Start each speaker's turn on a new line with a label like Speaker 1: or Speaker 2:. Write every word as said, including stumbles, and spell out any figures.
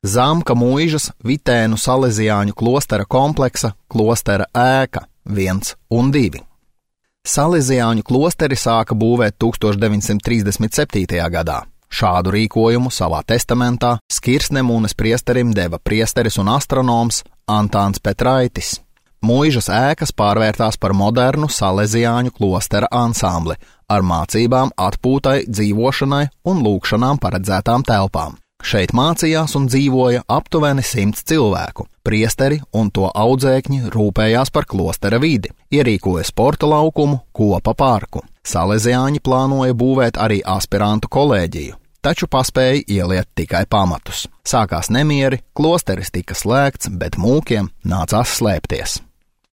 Speaker 1: Zamka Muižas Vitēnu Salesiāņu klostera kompleksa klostera ēka viens un divi. Salesiāņu klosteri sāka būvēt tūkstoš deviņsimt trīsdesmit septītajā gadā. Šādu rīkojumu savā testamentā Skirsnemūnes priesterim deva priesteris un astronoms Antāns Petraitis. Muižas ēkas pārvērtās par modernu Salesiāņu klostera ansambli ar mācībām, atpūtai, dzīvošanai un lūgšanām paredzētām telpām. Šeit mācījās un dzīvoja aptuveni simts cilvēku. Priesteri un to audzēkņi rūpējās par klostera vidi, ierīkoja sporta laukumu, kopa parku. Salesiāņi plānoja būvēt arī aspirantu kolēģiju, taču paspēja ieliet tikai pamatus. Sākās nemieri, klosteris tika slēgts, bet mūkiem nācās slēpties.